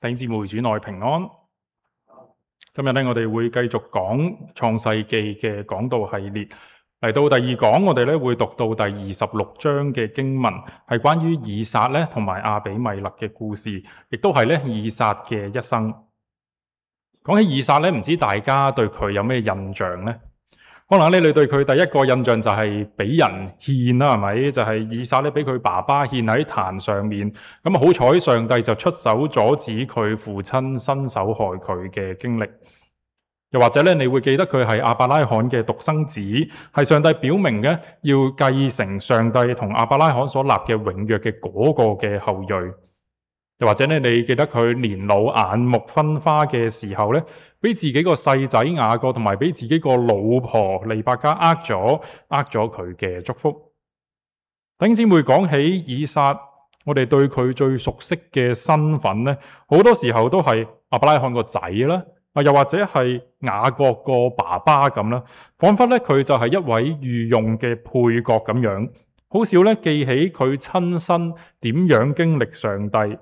弟兄姊妹，主內平安。今日咧，我哋會繼續講創世記嘅講道系列。嚟到第二講，我哋咧會讀到第26章嘅經文，係關於以撒咧同埋亞比米勒嘅故事，亦都係咧以撒嘅一生。講起以撒咧，唔知大家對佢有咩印象呢？可能咧你對佢第一個印象就係俾人獻啦，係咪？就係以撒咧俾佢爸爸獻喺壇上面，咁好彩上帝就出手阻止佢父親伸手害佢嘅經歷。又或者咧，你會記得佢係亞伯拉罕嘅獨生子，係上帝表明嘅要繼承上帝同亞伯拉罕所立嘅永約嘅嗰個嘅後裔。又或者咧，你記得佢年老眼目昏花嘅時候咧，俾自己個細仔雅各同埋俾自己個老婆利百加呃咗佢嘅祝福。弟兄姊妹，講起以撒，我哋對佢最熟悉嘅身份咧，好多時候都係亞伯拉罕個仔啦，又或者係雅各個爸爸咁啦，仿佛咧佢就係一位御用嘅配角咁樣，好少咧記起佢親身點樣經歷上帝。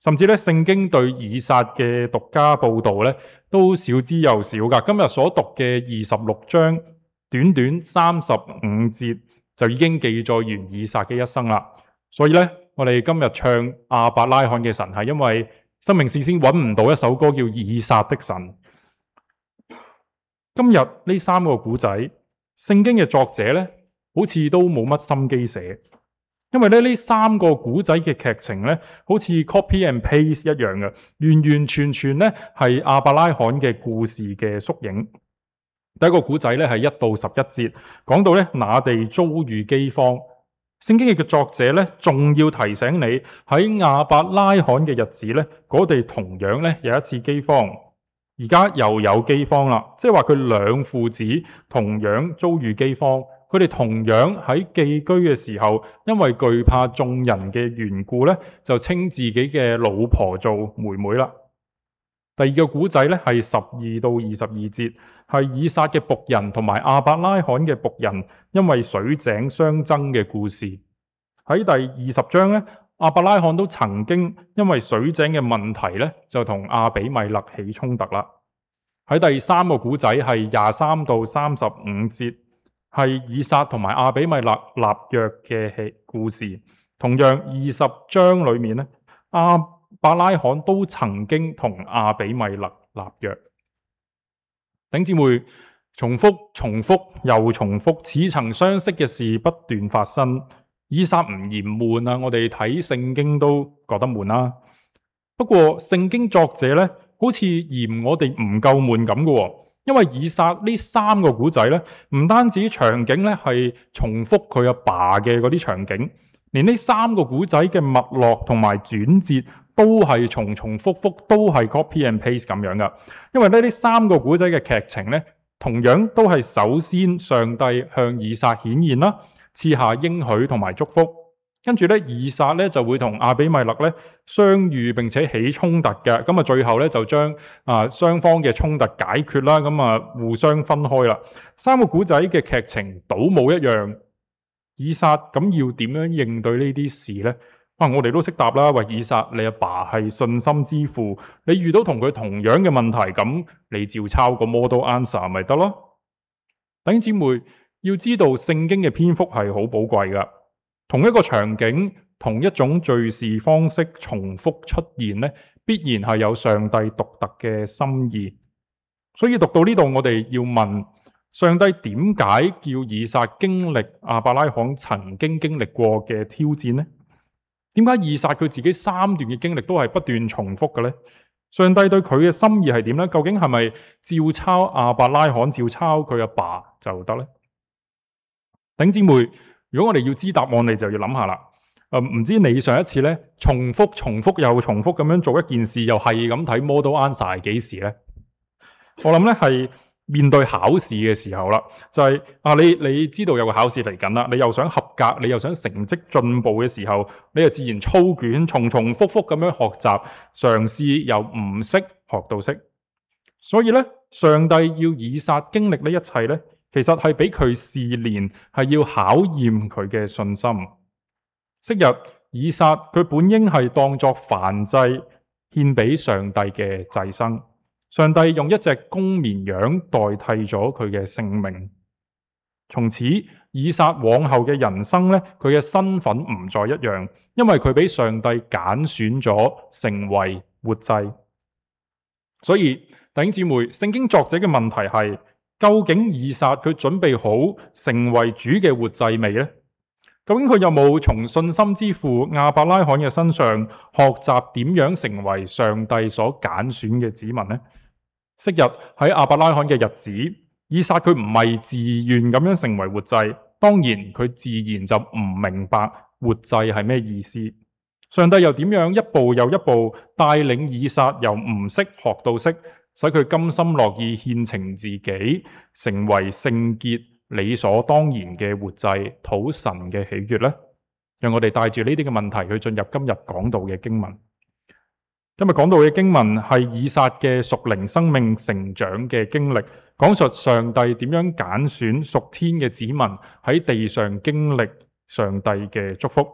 甚至咧，聖經對以撒嘅獨家報道咧，都少之又少噶。今日所讀嘅26章，短短35節就已經記載完以撒嘅一生啦。所以咧，我哋今日唱亞伯拉罕嘅神，係因為生命事先揾唔到一首歌叫以撒的神。今日呢三個古仔，聖經嘅作者咧，好似都冇乜心機寫。因為呢三個古仔嘅劇情咧，好似 copy and paste 一樣嘅，完完全全咧係亞伯拉罕嘅故事嘅縮影。第一個古仔咧係1到11節，講到咧那地遭遇饑荒。聖經嘅作者咧，仲要提醒你喺亞伯拉罕嘅日子咧，嗰地同樣咧有一次饑荒，而家又有饑荒啦，即係話佢兩父子同樣遭遇饑荒。佢哋同樣喺寄居嘅時候，因為懼怕眾人嘅緣故咧，就稱自己嘅老婆做妹妹啦。第二個古仔咧係12到22節，係以撒嘅僕人同埋亞伯拉罕嘅僕人因為水井相爭嘅故事。喺第20章咧，亞伯拉罕都曾經因為水井嘅問題咧，就同亞比米勒起衝突啦。喺第三個古仔係23到35節。係以撒同埋亞比米勒立約嘅故事，同樣20章裏面咧，亞伯拉罕都曾經同亞比米勒立約。弟兄姊妹，重複又重複，似曾相識嘅事不斷發生。以撒唔嫌悶啊，我哋睇聖經都覺得悶啦。不過聖經作者咧，好似嫌我哋唔夠悶咁嘅。因為以撒呢三個古仔咧，唔單止場景咧係重複佢阿爸嘅嗰啲場景，連呢三個古仔嘅脈絡同埋轉折都係重複，都係 copy and paste 咁樣噶。因為呢三個古仔嘅劇情咧，同樣都係首先上帝向以撒顯現啦，賜下應許同埋祝福。跟住咧，以撒咧就會同亞比米勒咧相遇，並且起衝突嘅。咁啊，最後咧就將雙方嘅衝突解決啦。咁啊，互相分開啦。三個古仔嘅劇情倒冇一樣。以撒咁要點樣應對呢啲事呢？我哋都識答啦。喂，以撒，你阿爸係信心之父，你遇到同佢同樣嘅問題，咁你照抄個 model answer 咪得咯？弟兄姊妹，要知道聖經嘅篇幅係好寶貴噶。同一個場景，同一種敘事方式重複出現咧，必然係有上帝獨特嘅心意。所以讀到呢度，我哋要問上帝點解叫以撒經歷亞伯拉罕曾經經歷過嘅挑戰呢？點解以撒佢自己3段嘅經歷都係不斷重複嘅呢？上帝對佢嘅心意係點呢？究竟係咪照抄亞伯拉罕，照抄佢阿爸就得呢？弟兄姊妹，如果我哋要知答案，你就要諗下啦。唔知你上一次咧重複又重複咁樣做一件事，又係咁睇 model answer 係幾時呢？我諗咧係面對考試嘅時候啦，就係你知道有個考試嚟緊啦，你又想合格，你又想成績進步嘅時候，你就自然操卷，重複咁樣學習，嘗試由唔識學到識。所以咧，上帝要以撒經歷呢一切咧，其實係俾佢試煉，係要考驗佢嘅信心。昔日以撒佢本應係當作燔祭，獻俾上帝嘅祭牲。上帝用一隻公綿羊代替咗佢嘅性命。從此以撒往後嘅人生呢，佢嘅身份唔再一樣，因為佢俾上帝揀選咗成為活祭。所以弟兄姊妹，聖經作者嘅問題係，究竟以撒佢準備好成為主嘅活祭未呢？究竟佢有冇從信心之父亞伯拉罕嘅身上學習點樣成為上帝所揀選嘅子民呢？昔日喺亞伯拉罕嘅日子，以撒佢唔係自願咁樣成為活祭，當然佢自然就唔明白活祭係咩意思。上帝又點樣一步又一步帶領以撒由唔識學到識，使佢甘心樂意獻呈自己，成為聖潔理所當然嘅活祭，討神嘅喜悅呢？讓我哋帶住呢啲嘅問題去進入今日講道嘅經文。今日講到嘅經文係以撒嘅屬靈生命成長嘅經歷，講述上帝點樣揀選屬天嘅子民喺地上經歷上帝嘅祝福。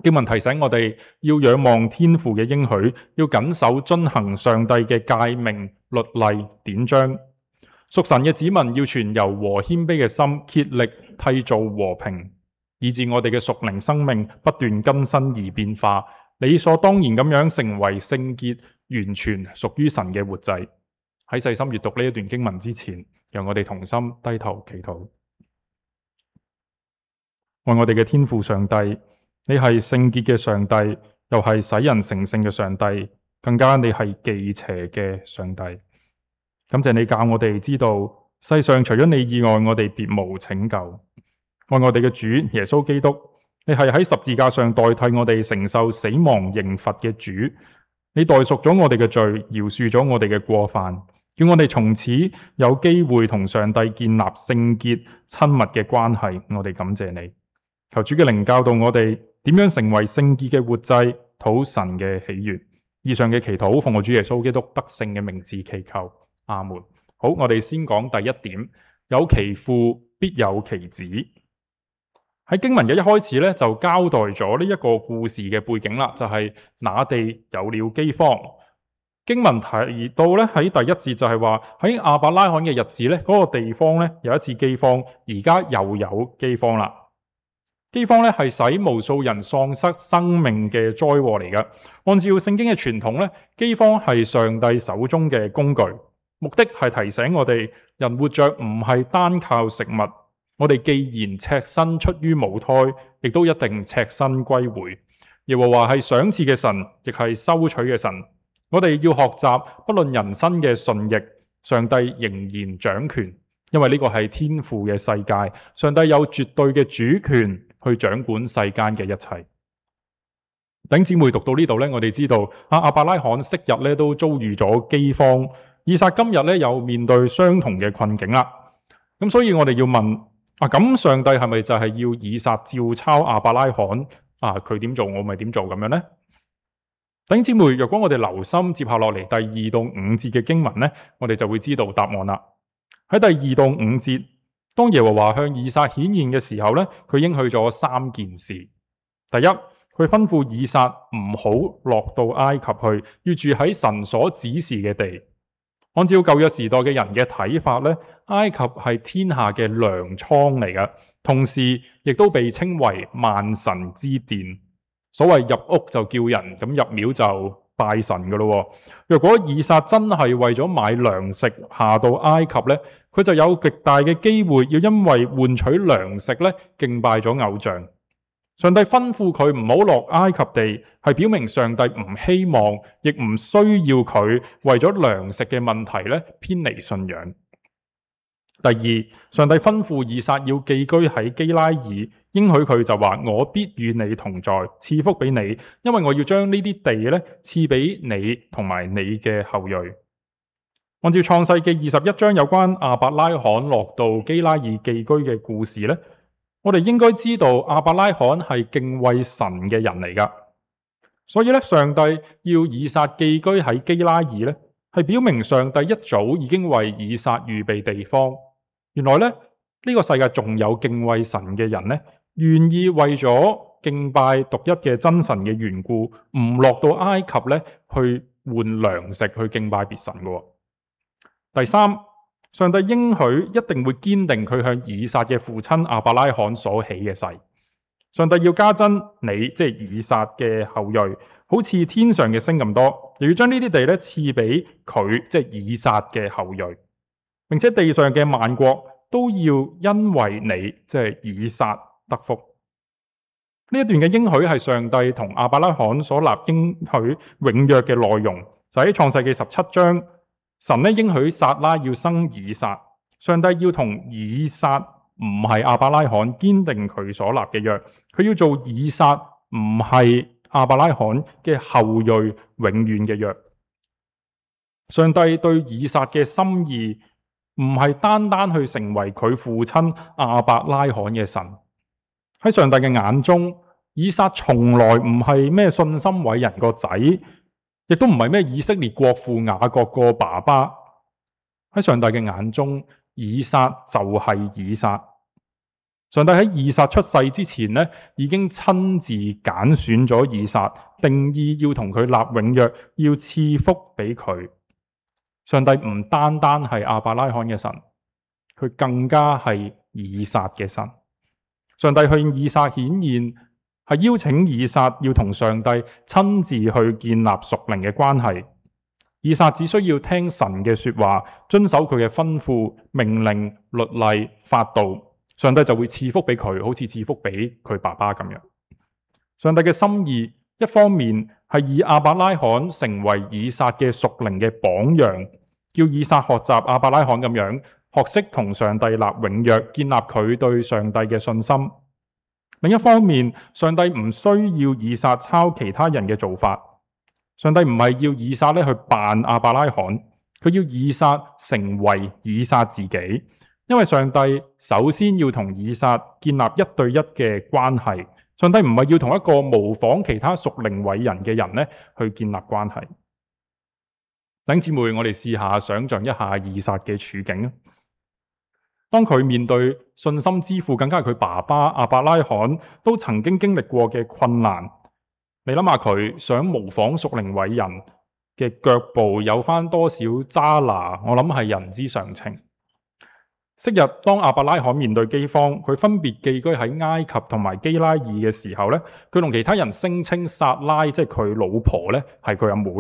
經文提醒我哋要仰望天父嘅應許，要謹守遵行上帝嘅誡命、律例、典章。屬神嘅子民要存柔和謙卑嘅心，竭力締造和平，以致我哋嘅屬靈生命不斷更新而變化，理所當然咁樣成為聖潔、完全屬於神嘅活祭。喺細心閱讀呢一段經文之前，讓我哋同心低頭祈禱。愛我哋嘅天父上帝，你係聖潔嘅上帝，又係使人成聖嘅上帝，更加你係忌邪嘅上帝。感謝你教我哋知道，世上除咗你以外，我哋別無拯救。愛我哋嘅主耶穌基督，你係喺十字架上代替我哋承受死亡刑罰嘅主，你代贖咗我哋嘅罪，饒恕咗我哋嘅過犯，叫我哋從此有機會同上帝建立聖潔親密嘅關係。我哋感謝你，求主嘅靈教導我哋點樣成為聖潔嘅活祭，討神嘅喜悅。以上嘅祈禱奉我主耶穌基督得勝嘅名字祈求，阿門。好，我哋先講第一點，有其父必有其子。喺經文嘅一開始咧，就交代咗呢一個故事嘅背景啦，就係那地有了饑荒。經文提到咧，喺第一節就係話喺亞伯拉罕嘅日子咧，嗰個地方咧有一次饑荒，而家又有饑荒啦。饑荒咧係使無數人喪失生命嘅災禍嚟㗎。按照聖經嘅傳統咧，饑荒係上帝手中嘅工具，目的係提醒我哋人活着唔係單靠食物。我哋既然赤身出於母胎，亦都一定赤身歸回。耶和華係賞賜嘅神，亦係收取嘅神。我哋要學習，不論人生嘅順逆，上帝仍然掌權，因為呢個係天父嘅世界，上帝有絕對嘅主權去掌管世間嘅一切。弟兄姊妹讀到呢度咧，我哋知道亞伯拉罕昔日咧都遭遇咗饑荒，以撒今日咧又面對相同嘅困境啦。咁所以我哋要問咁上帝係咪就係要以撒照抄亞伯拉罕佢點做我咪點做咁樣呢？弟兄姊妹，若果我哋留心接下落嚟第2到5節嘅經文呢，我哋就會知道答案啦。喺第2到5節，當耶和華向以撒顯現嘅時候呢，佢應許咗3件事。第一，佢吩咐以撒唔好落到埃及去，要住喺神所指示嘅地。按照舊約時代嘅人嘅睇法呢，埃及係天下嘅糧倉嚟㗎，同時亦都被稱為萬神之殿。所謂入屋就叫人，咁入廟就拜神噶咯。若果以撒真係為咗買糧食下到埃及呢，佢就有極大嘅機會要因為換取糧食呢敬拜咗偶像。上帝吩咐佢唔好落埃及地，係表明上帝唔希望，亦唔需要佢為咗糧食嘅問題咧偏離信仰。第二，上帝吩咐以撒要寄居喺基拉耳，應許佢就話：我必與你同在，賜福俾你，因為我要將呢啲地咧賜俾你同埋你嘅後裔。按照創世記21章有關亞伯拉罕落到基拉耳寄居嘅故事咧，我哋應該知道亞伯拉罕係敬畏神嘅人嚟㗎，所以咧上帝要以撒寄居喺基拉耳咧，係表明上帝一早已經為以撒預備地方。原來咧呢個世界仲有敬畏神嘅人咧，願意為咗敬拜獨一嘅真神嘅緣故，唔落到埃及咧去換糧食去敬拜別神嘅。第三，上帝應許一定會堅定佢向以撒嘅父親亞伯拉罕所起嘅誓。上帝要加增你，即係以撒嘅後裔，好似天上嘅星咁多，又要將呢啲地咧賜俾佢，即係以撒嘅後裔，並且地上嘅萬國都要因為你，即係以撒得福。呢一段嘅應許係上帝同亞伯拉罕所立應許永約嘅內容，就喺創世記17章，神咧應許撒拉要生以撒，上帝要同以撒，唔係亞伯拉罕堅定佢所立嘅約，佢要做以撒，唔係亞伯拉罕嘅後裔永遠嘅約。上帝對以撒嘅心意唔係單單去成為佢父親亞伯拉罕嘅神。喺上帝嘅眼中，以撒從來唔係咩信心偉人個仔，亦都唔係咩以色列國父雅各個爸爸。喺上帝嘅眼中，以撒就係以撒。上帝喺以撒出世之前呢，已經親自揀選咗以撒，定意要同佢立永約，要賜福俾佢。上帝唔單單係亞伯拉罕嘅神，佢更加係以撒嘅神。上帝向以撒顯現，係邀請以撒要同上帝親自去建立屬靈嘅關係。以撒只需要聽神嘅說話，遵守佢嘅吩咐、命令、律例、法度，上帝就會賜福俾佢，好似賜福俾佢爸爸咁樣。上帝嘅心意，一方面係以亞伯拉罕成為以撒嘅屬靈嘅榜樣，叫以撒學習亞伯拉罕咁樣，學識同上帝立永約，建立佢對上帝嘅信心。另一方面，上帝唔需要以撒抄其他人嘅做法，上帝唔係要以撒咧去扮亞伯拉罕，佢要以撒成為以撒自己。因為上帝首先要同以撒建立一對一嘅關係，上帝唔係要同一個模仿其他屬靈偉人嘅人咧去建立關係。弟兄姊妹，我哋試下想象一下以撒嘅處境。當佢面對信心之父，更加係佢爸爸亞伯拉罕都曾經經歷過嘅困難，你諗下佢想模仿屬靈偉人嘅腳步有翻多少渣拿，我諗係人之常情。昔日當亞伯拉罕面對饑荒，佢分別寄居喺埃及同埋基拉耳嘅時候咧，佢同其他人聲稱撒拉即係佢老婆咧係佢阿妹。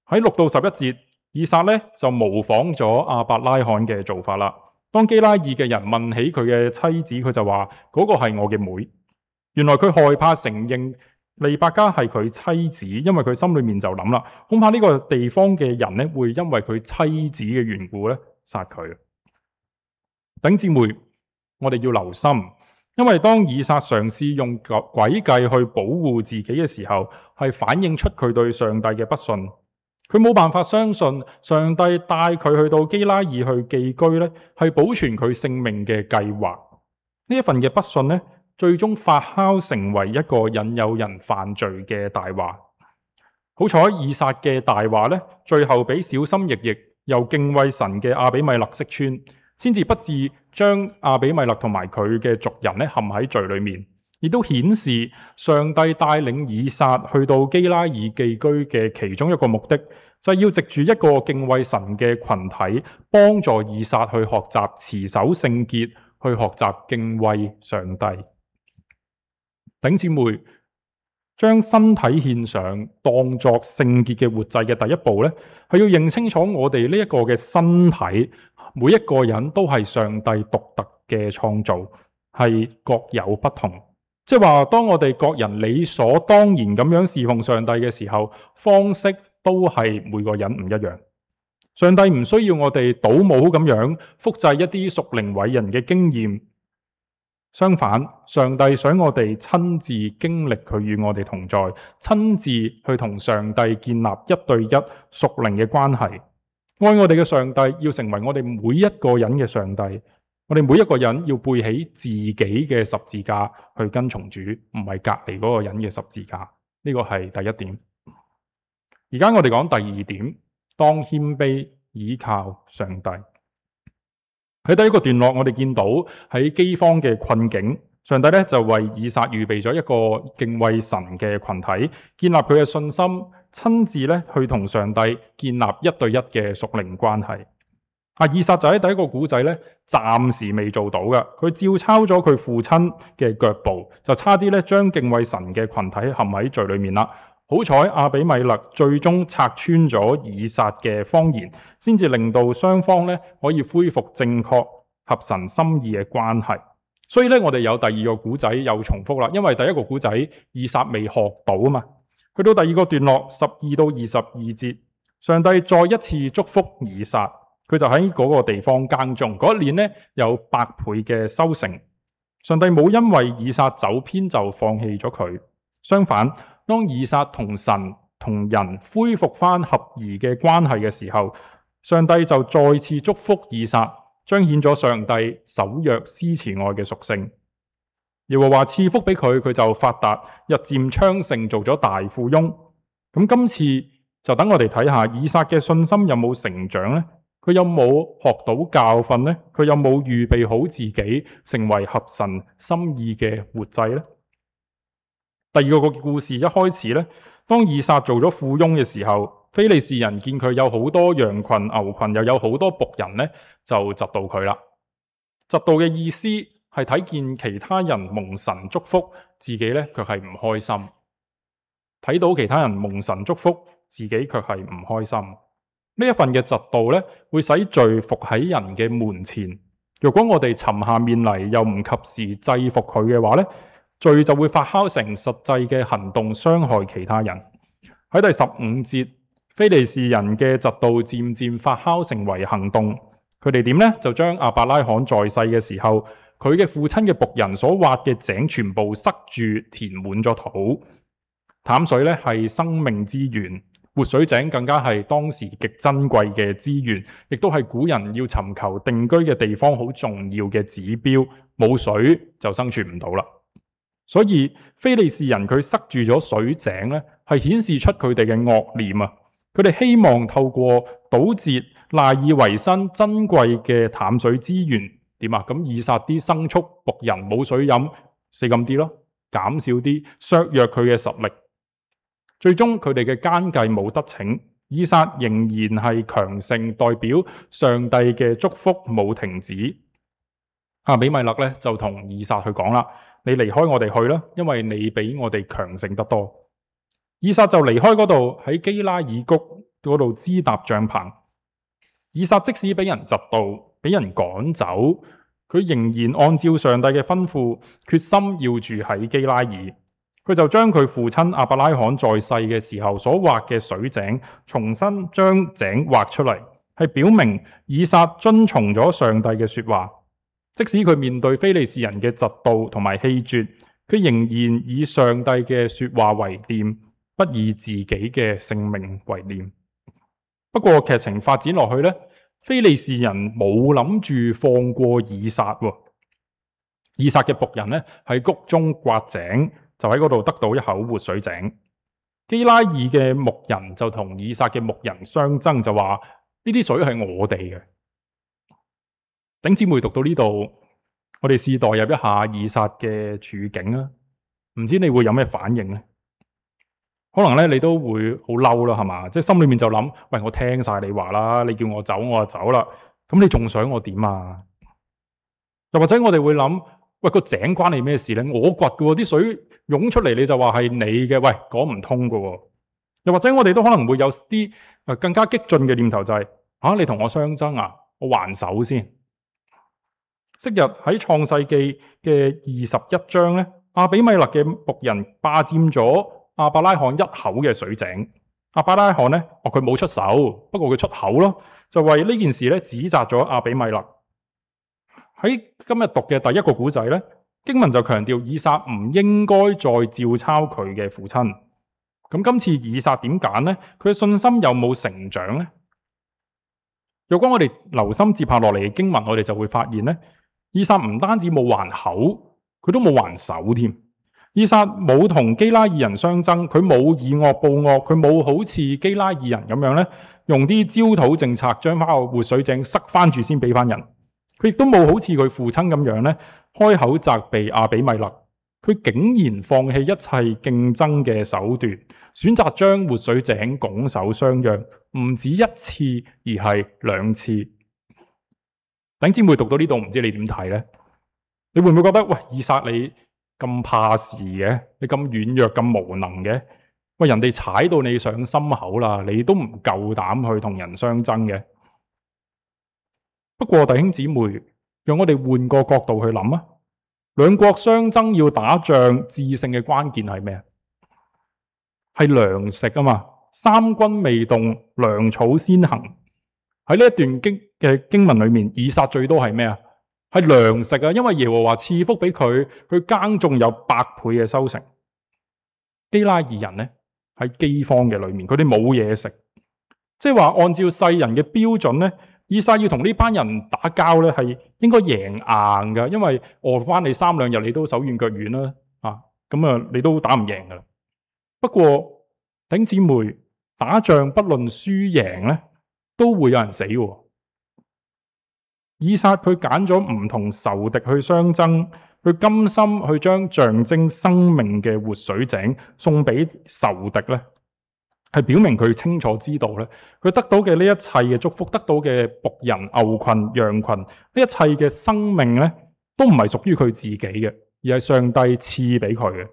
喺6到11節，以撒咧就模仿咗亞伯拉罕嘅做法啦。當基拉耳嘅人問起佢嘅妻子，佢就話嗰個係我嘅妹。原來佢害怕承認利百加係佢妻子，因為佢心裏面就諗啦，恐怕呢個地方嘅人咧會因為佢妻子嘅緣故咧殺佢。弟兄姊妹，我哋要留心，因為當以撒嘗試用詭計去保護自己嘅時候，係反映出佢對上帝嘅不信。佢冇辦法相信上帝帶佢去到基拉耳去寄居咧，係保存佢性命嘅計劃。呢一份嘅不信咧，最終發酵成為一個引誘人犯罪嘅大話。好彩以撒嘅大話咧，最後俾小心翼翼又敬畏神嘅亞比米勒識穿，先至不致將亞比米勒同埋佢嘅族人咧陷喺罪裏面，亦都顯示上帝帶領以撒去到基拉耳寄居嘅其中一個目的，就係要藉住一個敬畏神嘅群體，幫助以撒去學習持守聖潔，去學習敬畏上帝。弟兄姊妹，將身體獻上當作聖潔嘅活祭嘅第一步咧，係要認清楚我哋呢一個嘅身體，每一個人都係上帝獨特嘅創造，係各有不同。即係話，當我哋各人理所當然咁樣侍奉上帝嘅時候，方式都係每個人唔一樣。上帝唔需要我哋倒模咁樣複製一啲屬靈偉人嘅經驗，相反，上帝想我哋親自經歷佢與我哋同在，親自去同上帝建立一對一屬靈嘅關係。愛我哋嘅上帝要成為我哋每一個人嘅上帝。我哋每一個人要背起自己嘅十字架去跟從主，唔係隔離嗰個人嘅十字架。呢個係第一點。而家我哋講第二點，當謙卑倚靠上帝。喺第一個段落，我哋見到喺饑荒嘅困境，上帝咧就為以撒預備咗一個敬畏神嘅群體，建立佢嘅信心，親自咧去同上帝建立一對一嘅屬靈關係。以撒就喺第一個古仔咧，暫時未做到嘅，佢照抄咗佢父親嘅腳步，就差啲咧將敬畏神嘅群體陷喺罪裏面啦。好彩亞比米勒最終拆穿咗以撒嘅謊言，先至令到雙方咧可以恢復正確合神心意嘅關係。所以咧，我哋有第二個古仔又重複啦，因為第一個古仔以撒未學到啊嘛。去到第二個段落12到22節，上帝再一次祝福以撒，佢就喺嗰個地方耕種，嗰一年呢有100倍嘅收成。上帝冇因為以撒走偏就放棄咗佢，相反，當以撒同神同人恢復翻合宜嘅關係嘅時候，上帝就再次祝福以撒，彰顯咗上帝守約施慈愛嘅屬性。耶和華賜福俾佢，佢就發達，日漸昌盛，做咗大富翁。咁今次就等我哋睇下以撒嘅信心有冇成長呢？佢有冇學到教訓呢？佢有冇預備好自己成為合神心意嘅活祭呢？第二個故事一開始呢，當以撒做咗富翁嘅時候，非利士人見佢有好多羊群牛群，又有好多僕人呢，就嫉妒佢啦。嫉妒嘅意思係睇見其他人蒙神祝福，自己呢卻係唔開心；睇到其他人蒙神祝福，自己卻係唔開心。呢一份嘅嫉妒呢，會使罪伏喺人嘅門前。如果我哋沉下面嚟，又唔及時制服佢嘅話呢，罪就會發酵成實際嘅行動，傷害其他人。喺第15節，非利士人嘅嫉妒漸漸發酵成為行動。佢哋點呢？就將亞伯拉罕在世嘅時候，佢嘅父親嘅僕人所挖嘅井全部塞住，填滿咗土。淡水咧係生命之源，活水井更加係當時極珍貴嘅資源，亦都係古人要尋求定居嘅地方好重要嘅指標。冇水就生存唔到啦。所以非利士人佢塞住咗水井咧，係顯示出佢哋嘅惡念啊！佢哋希望透過堵截賴以為生珍貴嘅淡水資源，點啊？咁以撒啲牲畜僕人冇水飲，死咁啲咯，減少啲，削弱佢嘅實力。最終佢哋嘅奸計冇得逞，以撒仍然係強盛，代表上帝嘅祝福冇停止。亞比米勒咧就同以撒去講啦，你離開我哋去啦，因為你比我哋強盛得多。以撒就離開嗰度，喺基拉耳谷嗰度支搭帳篷。以撒即使俾人嫉妒，俾人趕走，佢仍然按照上帝嘅吩咐，決心要住喺基拉耳。佢就將佢父親亞伯拉罕在世嘅時候所挖嘅水井，重新將井挖出嚟，係表明以撒遵從咗上帝嘅說話。即使佢面對非利士人嘅嫉妒同埋棄絕，佢仍然以上帝嘅說話為念，不以自己嘅性命為念。不過劇情發展落去呢，非利士人冇諗住放過以撒。以撒嘅僕人呢，喺谷中挖井，就喺嗰度得到一口活水井。基拉耳嘅牧人就同以撒嘅牧人相爭，就話呢啲水係我哋嘅。頂姊妹讀到呢度，我哋試代入一下以撒嘅處境啊，唔知你會有咩反應呢？可能咧你都會好嬲啦，係嘛？即係心裏面就諗，喂，我聽晒你話啦，你叫我走我就走啦，咁你仲想我點啊？又或者我哋會諗，喂，個井關你咩事咧？我掘嘅，啲水湧出嚟你就話係你嘅，喂，講唔通嘅。又或者我哋都可能會有啲更加激進嘅念頭，就係你同我相爭啊，我還手先。昔日喺創世記嘅21章咧，亞比米勒嘅僕人霸佔咗亞伯拉罕一口嘅水井。亞伯拉罕咧，佢冇出手，不過佢出口咯，就為呢件事咧指責咗亞比米勒。喺今日讀嘅第一個古仔咧，經文就強調以撒唔應該再照抄佢嘅父親。咁今次以撒點揀呢？佢嘅信心有冇成長呢？如果我哋留心接下落嚟嘅經文，我哋就會發現咧，以撒唔單止冇還口，佢都冇還手添。以撒冇同基拉耳人相爭，佢冇以惡報惡，佢冇好似基拉耳人咁樣咧，用啲焦土政策將翻個活水井塞翻住先俾翻人。佢亦都冇好似佢父親咁樣咧，開口責備亞比米勒。佢竟然放棄一切競爭嘅手段，選擇將活水井拱手相讓，唔止一次，而係2次。弟兄姊妹讀到呢度，唔知你點睇呢？你會唔會覺得喂，以撒你咁怕事嘅，你咁軟弱咁無能嘅？喂，人哋踩到你上心口啦，你都唔夠膽去同人相爭嘅。不過弟兄姊妹，讓我哋換個角度去諗啊！兩國相爭要打仗，致勝嘅關鍵係咩？係糧食啊嘛！三軍未動，糧草先行。喺呢一段經文裏面，以撒最多係咩啊？係糧食啊！因為耶和華賜福俾佢，佢耕種有100倍嘅收成。基拉耳人呢，喺饑荒嘅裏面，佢哋冇嘢食，即係話按照世人嘅標準呢，以撒要同呢班人打交咧，係應該贏硬噶，因為餓翻你3、2日，你都手軟腳軟啦，咁你都打唔贏噶啦。不過弟兄姊妹，打仗不論輸贏咧，都會有人死喎。以撒佢揀咗唔同仇敵去相爭，佢甘心去將象徵生命嘅活水井送俾仇敵咧，係表明佢清楚知道咧，佢得到嘅呢一切嘅祝福，得到嘅僕人、牛群、羊群，呢一切嘅生命咧，都唔係屬於佢自己嘅，而係上帝賜俾佢嘅。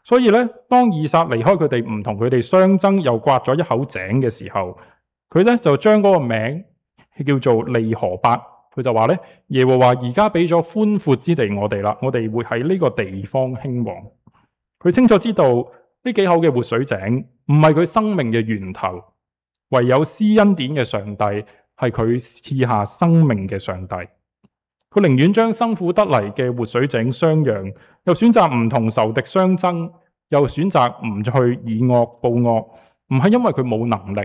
所以咧，當以撒離開佢哋，唔同佢哋相爭，又挖咗一口井嘅時候，佢咧就將嗰個名叫做利河伯。佢就話咧，耶和華而家俾咗寬闊之地我哋啦，我哋會喺呢個地方興旺。佢清楚知道呢幾口嘅活水井唔係佢生命嘅源頭，唯有施恩典嘅上帝係佢賜下生命嘅上帝。佢寧願將辛苦得嚟嘅活水井相讓，又選擇唔同仇敵相爭，又選擇唔去以惡報惡，唔係因為佢冇能力，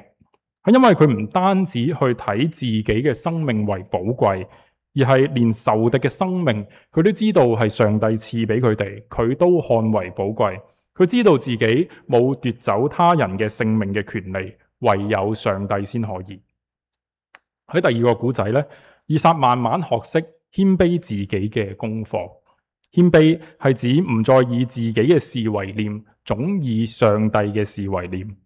係因為佢唔單止去睇自己嘅生命為寶貴，而係連仇敵嘅生命佢都知道係上帝賜俾佢哋，佢都看為寶貴。佢知道自己冇奪走他人嘅性命嘅權利，唯有上帝先可以。喺第二個古仔呢，以撒慢慢學識謙卑自己嘅功課。謙卑係指唔再以自己嘅事為念，總以上帝嘅事為念。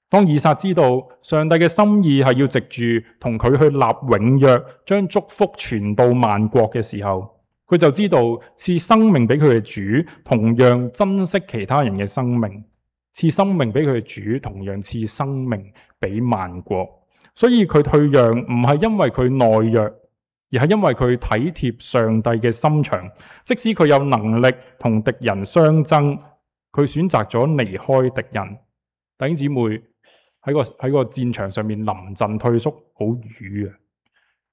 當以撒知道上帝嘅心意係要藉住同佢去立永約，將祝福傳到萬國嘅時候，佢就知道賜生命俾佢嘅主同樣珍惜其他人嘅生命，賜生命俾佢嘅主同樣賜生命俾萬國。所以佢退讓唔係因為佢懦弱，而係因為佢體貼上帝嘅心腸。即使佢有能力同敵人相爭，佢選擇咗離開敵人。弟兄姊妹，喺個戰場上面臨陣退縮好瘀啊！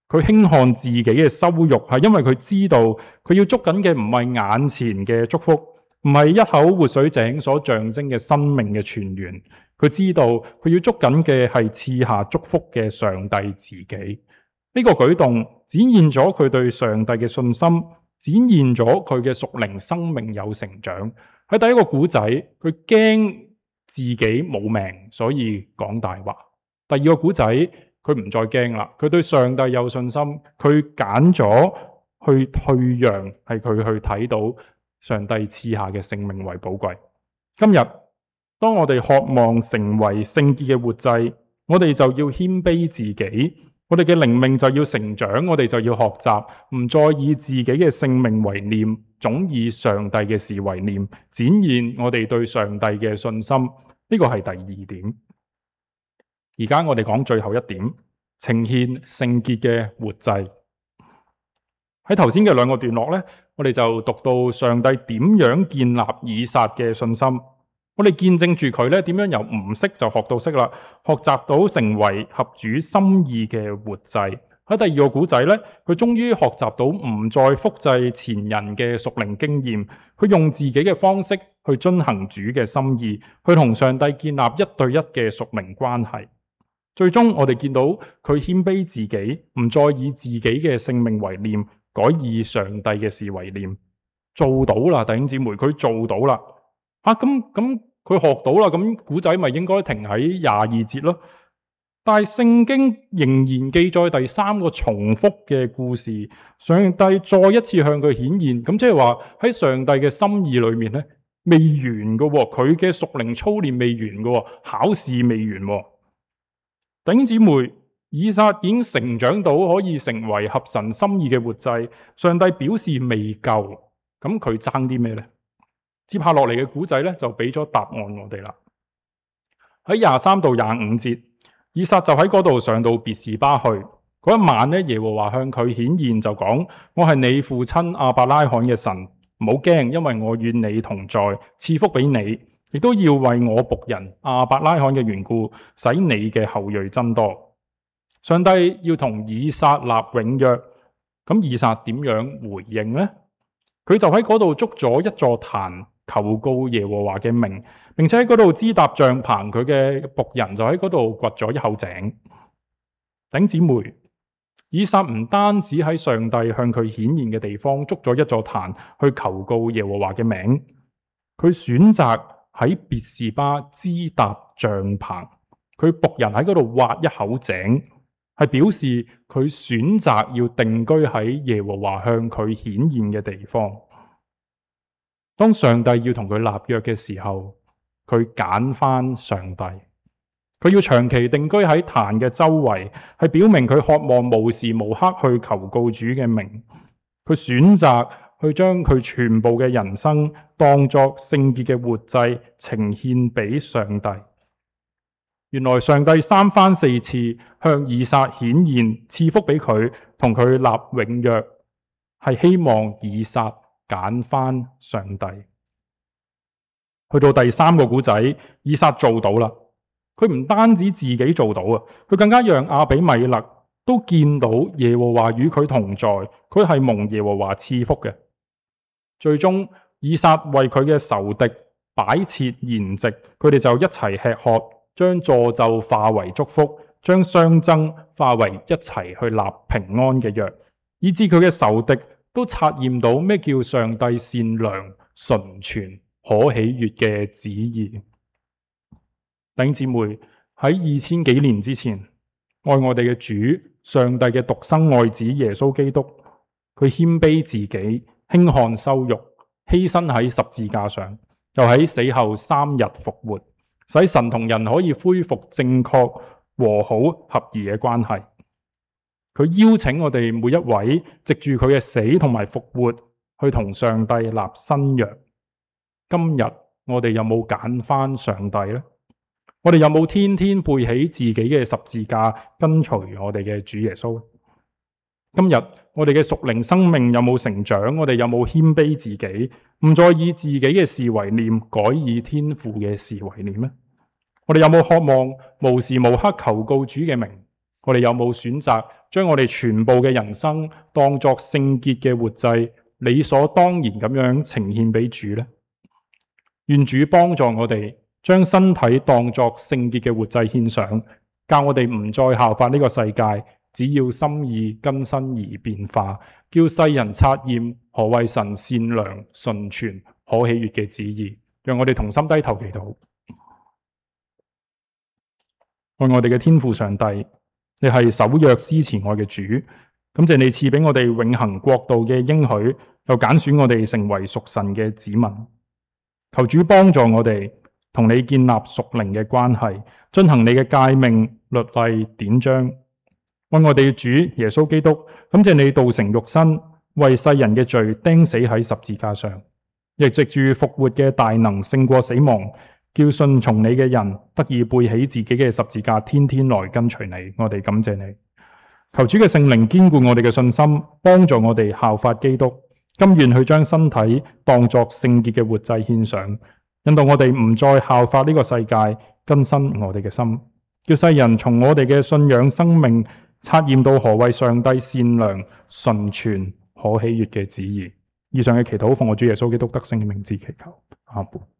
佢輕看自己嘅羞辱，係因為佢知道佢要捉緊嘅唔係眼前嘅祝福，唔係一口活水井所象徵嘅生命嘅泉源。佢知道佢要捉緊嘅係賜下祝福嘅上帝自己。呢個舉動展現咗佢對上帝嘅信心，展現咗佢嘅屬靈生命有成長。喺第一個古仔，佢驚自己冇命，所以講大話。第二個古仔，佢唔再驚啦，佢對上帝有信心，佢揀咗去退讓，係佢去睇到上帝賜下嘅性命為寶貴。今日當我哋渴望成為聖潔嘅活祭，我哋就要謙卑自己，我哋嘅靈命就要成長，我哋就要學習唔再以自己嘅性命為念，總以上帝嘅事為念，展現我哋對上帝嘅信心。呢個係第二點。而家我哋講最後一點，呈獻聖潔嘅活祭。喺頭先嘅兩個段落呢，我哋就讀到上帝點樣建立以撒嘅信心。我哋見證住佢咧點樣由唔識就學到識啦，學習到成為合主心意嘅活祭。喺第二個古仔咧，佢終於學習到唔再複製前人嘅屬靈經驗，佢用自己嘅方式去遵行主嘅心意，去同上帝建立1對1嘅屬靈關係。最終我哋見到佢謙卑自己，唔再以自己嘅性命為念，改以上帝嘅事為念。做到啦，弟兄姊妹，佢做到啦。咁佢學到啦，咁古仔咪應該停喺22節咯。但係聖經仍然記載第三個重複嘅故事，上帝再一次向佢顯現，咁即係話喺上帝嘅心意裏面咧，未完嘅喎，佢嘅屬靈操練未完嘅喎，考試未完喎。弟兄姊妹，以撒已經成長到可以成為合神心意嘅活祭，上帝表示未夠，咁佢爭啲咩呢？接下落嚟嘅古仔咧就俾咗答案我哋啦。喺23到25節，以撒就喺嗰度上到別是巴去。嗰一晚咧，耶和華向佢顯現就講：我係你父親亞伯拉罕嘅神，唔好驚，因為我與你同在，賜福俾你，亦都要為我僕人亞伯拉罕嘅緣故，使你嘅後裔增多。上帝要同以撒立永約，咁以撒點樣回應呢？佢就喺嗰度築咗一座壇，求告耶和華嘅名，並且喺嗰度支搭帳棚，佢嘅僕人就喺嗰度掘咗一口井。弟兄姊妹，以撒唔單止喺上帝向佢顯現嘅地方築咗一座壇去求告耶和華嘅名，佢選擇喺別是巴支搭帳棚，佢僕人喺嗰度挖一口井，係表示佢選擇要定居喺耶和華向佢顯現嘅地方。當上帝要同佢立約嘅時候，佢揀翻上帝，佢要長期定居喺壇嘅周圍，係表明佢渴望無時無刻去求告主嘅名。佢選擇去將佢全部嘅人生當作聖潔嘅活祭呈獻俾上帝。原來上帝三番四次向以撒顯現，賜福俾佢，同佢立永約，係希望以撒揀翻上帝。去到第三個古仔，以撒做到啦。佢唔單止自己做到啊，佢更加讓亞比米勒都見到耶和華與佢同在，佢係蒙耶和華賜福嘅。最終以撒為佢嘅仇敵擺設筵席，佢哋就一齊吃喝，將詛咒化為祝福，將相爭化為一齊去立平安嘅約，以致佢嘅仇敵都察驗到咩叫上帝善良、純全、可喜悅嘅旨意。弟兄姊妹，喺2000幾年之前，愛我哋嘅主，上帝嘅獨生愛子耶穌基督，佢謙卑自己，輕看羞辱，犧牲喺十字架上，又喺死後3日復活，使神同人可以恢復正確、和好、合宜嘅關係。佢邀請我哋每一位藉住佢嘅死同埋復活，去同上帝立新約。今日我哋有冇揀翻上帝呢？我哋有冇天天背起自己嘅十字架，跟隨我哋嘅主耶穌？今日我哋嘅屬靈生命有冇成長？我哋有冇謙卑自己，唔再以自己嘅事為念，改以天父嘅事為念呢？我哋有冇渴望無時無刻求告主嘅名？我哋有冇選擇將我哋全部嘅人生當作聖潔嘅活祭，理所當然咁樣呈獻俾主呢？願主幫助我哋將身體當作聖潔嘅活祭獻上，教我哋唔再效法呢個世界，只要心意更新而變化，叫世人察驗何為神善良、純全、可喜悅嘅旨意。讓我哋同心低頭祈禱。愛我哋嘅天父上帝，你係守約施慈愛嘅主，感謝你賜俾我哋永恆國度嘅應許，又揀選我哋成為屬神嘅子民。求主幫助我哋同你建立屬靈嘅關係，遵行你嘅誡命、律例、典章。愛我哋嘅主耶穌基督，感謝你道成肉身，為世人嘅罪釘死喺十字架上，亦藉住復活嘅大能勝過死亡，叫順從你嘅人得以背起自己嘅十字架，天天來跟隨你。我哋感謝你，求主嘅聖靈堅固我哋嘅信心，幫助我哋效法基督，甘願去將身體當作聖潔嘅活祭獻上，引導我哋唔再效法呢個世界，更新我哋嘅心，叫世人從我哋嘅信仰生命察驗到何謂上帝善良、純全、可喜悅嘅旨意。以上嘅祈禱奉我主耶穌基督得勝嘅名字祈求，阿們。